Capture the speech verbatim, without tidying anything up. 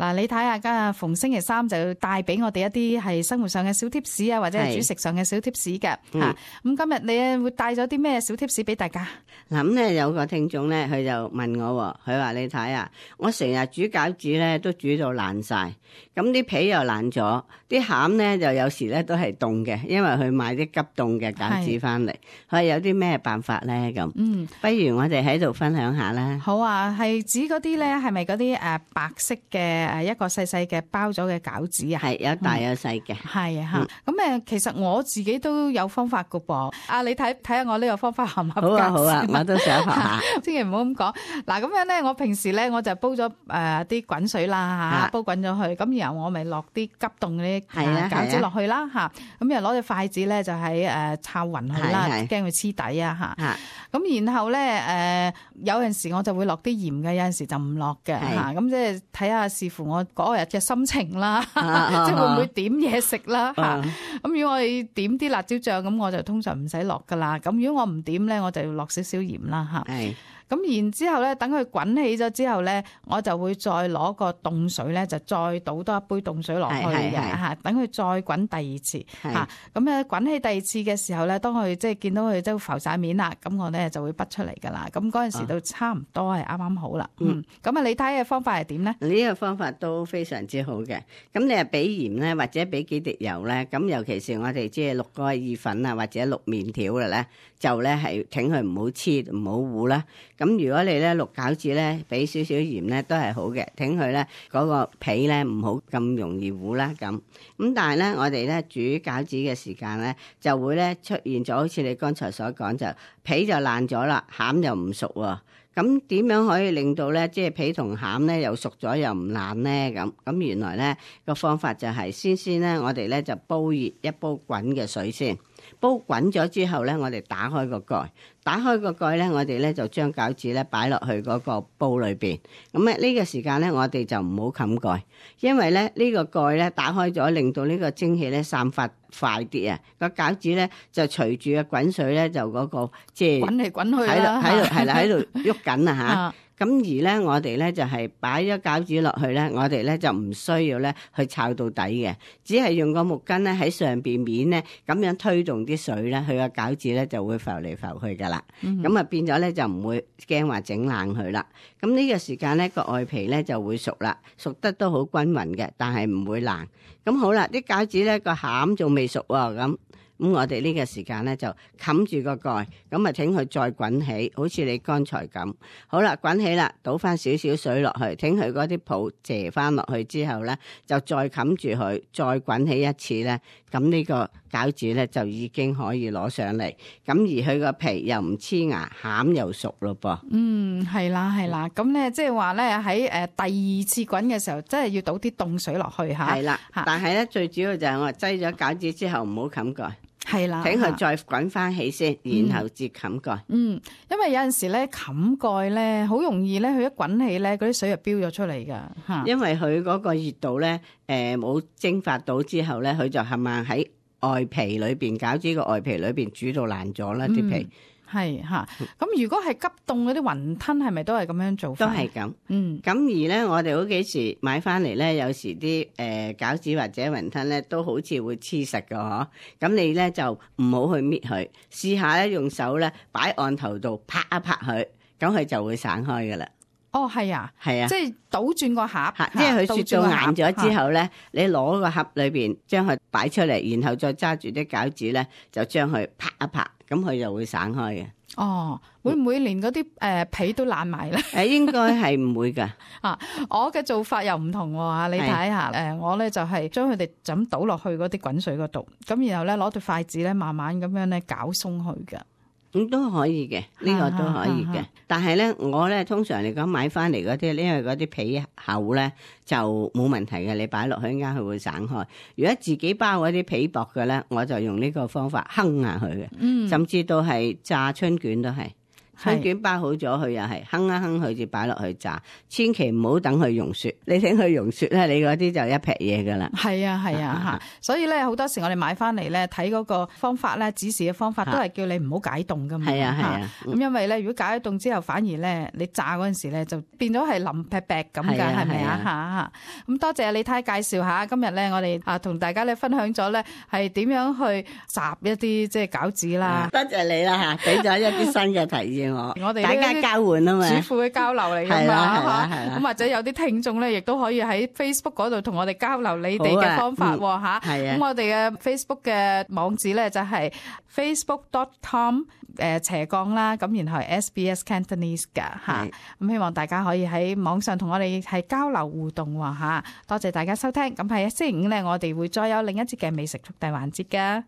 嗱，你睇下今日逢星期三就帶俾我哋一啲係生活上嘅小貼士啊，或者係煮食上嘅小貼士嘅嚇。咁、嗯、今日你會帶咗啲咩小貼士俾大家？嗱，咁咧有個聽眾咧，佢就問我，佢話你睇啊，我成日煮餃子咧都煮到爛晒，咁啲皮又爛咗，啲餡咧就有時咧都係凍嘅，因為佢買啲急凍嘅餃子翻嚟，佢話有啲咩辦法咧咁？嗯，不如我哋喺度分享下啦。好啊，係指嗰啲咧係咪嗰啲誒白色嘅誒一個細細嘅包咗嘅餃子啊？係有大有細嘅。係啊嚇，咁誒、嗯、其實我自己都有方法㗎噃。啊，你睇睇下我呢個方法合唔合格？好啊好啊，我都想學下。千祈唔好咁講。嗱，咁樣咧，我平時咧我就煲咗誒啲滾水啦嚇，煲滾咗去，咁然後我咪落啲急凍嗰啲餃子落去啦嚇，咁然後攞隻筷子咧就喺誒抄勻佢啦，驚佢黐底啊嚇。咁然後咧誒有陣時我就會落啲鹽嘅，有陣時就唔落嘅嚇。咁即係睇下視乎我嗰日嘅心情啦，即係會唔會點嘢食啦嚇。咁如果我哋點啲辣椒醬，咁我就通常唔使落噶啦。咁如果我唔點咧，我就要落少少鹽啦嚇。咁然之後咧，等佢滾起咗之後咧，我就會再攞個凍水咧，就再倒多一杯凍水落去嘅嚇，等佢再滾第二次嚇。咁咧滾起第二次嘅時候咧，當佢即係見到佢都浮晒面啦，咁我咧就會滗出嚟噶啦。咁嗰陣時都差唔多係啱啱好啦。嗯，咁啊，你睇嘅方法係點咧？呢個方法都非常之好嘅。咁你係俾鹽咧，或者俾幾滴油咧。咁尤其是我哋即係淥嗰個意粉啊，或者淥麵條嘅咧，就咧係挺佢唔好黐唔好糊啦。咁如果你咧淥餃子咧，俾少少鹽咧都係好嘅，挺佢咧嗰個皮咧唔好咁容易糊啦咁。咁但係咧，我哋咧煮餃子嘅時間咧，就會咧出現咗好似你剛才所講，就皮就爛咗啦，餡又唔熟喎。咁點樣可以令到咧即係皮同餡咧又熟咗又唔爛咧？咁咁原來咧個方法就係先先咧，我哋咧就煲熱一煲滾嘅水先。煲滾咗之後咧，我哋打開個蓋，打開個蓋咧，我哋咧就將餃子咧擺落去嗰個煲裏邊。咁咧呢個時間咧，我哋就唔好冚蓋，因為咧呢個蓋咧打開咗，令到呢個蒸氣咧散發快啲啊！個餃子咧就隨住個滾水咧就嗰個即係滾嚟滾去喺啦，度喺度係啦喺度喐緊啊嚇！咁而咧，我哋咧就係擺咗餃子落去咧，我哋咧就唔需要咧去炒到底嘅，只係用個木棍咧喺上邊面咧咁樣推動啲水咧，佢個餃子咧就會浮嚟浮去噶啦。咁啊、嗯、變咗咧就唔會驚話整爛佢啦。咁呢個時間咧個外皮咧就會熟啦，熟得都好均勻嘅，但係唔會爛。咁好啦，啲餃子咧個餡仲未熟喎咁。咁我哋呢個時間咧就冚住個蓋，咁啊請佢再滾起，好似你剛才咁。好啦，滾起啦，倒翻少少水落去，請佢嗰啲泡謝翻落去之後咧，就再冚住佢，再滾起一次咧，咁呢個餃子咧就已經可以攞上嚟。咁而佢個皮又唔黐牙，餡又熟咯噃。嗯，係啦係啦，咁咧即係話咧喺誒第二次滾嘅時候，真係要倒啲凍水落去嚇。係啦，但係咧最主要就係我擠咗餃子之後唔好冚蓋。係啦，請佢再滾翻起先，然後至冚蓋。嗯，因為有陣時咧冚蓋咧，好容易咧，佢一滾起咧，嗰啲水就飆咗出嚟噶吓。因為佢嗰個熱度咧，誒、呃、冇蒸發到之後咧，佢就係咪喺外皮裏邊，餃子個外皮裏邊煮到爛咗啦啲皮。係吓，咁如果係急凍嗰啲雲吞，係咪都係咁樣做法？都係咁。嗯，咁而咧，我哋好幾時買翻嚟咧，有時啲誒餃子或者雲吞咧，都好似會黐實㗎嗬。咁你咧就唔好去搣佢，試下咧用手咧擺案頭度拍一拍佢，咁佢就會散開噶啦。哦，係啊，係啊，即係倒轉個盒，即係佢雪到硬咗之後咧，你攞個盒裏邊將佢擺出嚟，然後再揸住啲餃子咧，就將佢拍一拍，咁佢就會散開嘅。哦，會唔會連嗰啲誒皮都爛埋咧？誒，應該係唔會噶。啊，我嘅做法又唔同喎，你睇下，誒，我咧就係將佢哋就咁倒落去嗰啲滾水嗰度，咁然後咧攞對筷子咧慢慢咁樣咧攪鬆佢嘅。咁都可以嘅，呢、這個都可以嘅。但係咧，我咧通常嚟講買翻嚟嗰啲，因為嗰啲皮厚咧就冇問題嘅，你擺落去啱佢會散開。如果自己包嗰啲皮薄嘅咧，我就用呢個方法哼下佢嘅。嗯，甚至到係炸春卷都係春卷包好咗，佢又係哼一哼佢至擺落去炸，千祈唔好等佢溶雪。你等佢溶雪咧，你嗰啲就一劈嘢噶啦。係啊係啊吓，所以咧好多時我哋買翻嚟咧睇嗰個方法咧，指示嘅方法都係叫你唔好解凍噶嘛。係啊係啊。咁因為咧，如果解咗凍之後，反而咧你炸嗰陣時咧就變咗係腍劈劈咁噶，係咪啊吓？咁多謝李太介紹下，今日咧我哋啊同大家咧分享咗咧係點樣去烚一啲即係餃子啦。多謝你啦吓，俾咗一啲新嘅提議我。我哋大家交換啊嘛，主婦嘅交流嚟噶嘛吓。咁或者有啲聽眾咧，亦都可以喺 Facebook 嗰度同我哋交流你哋嘅方法吓。咁我哋嘅 Facebook 嘅網址咧就係 facebook dot com 誒斜槓啦，咁然後係 S B S Cantonese 噶吓。咁希望大家可以喺網上同我哋係交流互動吓。多謝大家收聽。咁喺星期五咧，我哋會再有另一節嘅美食速遞環節噶。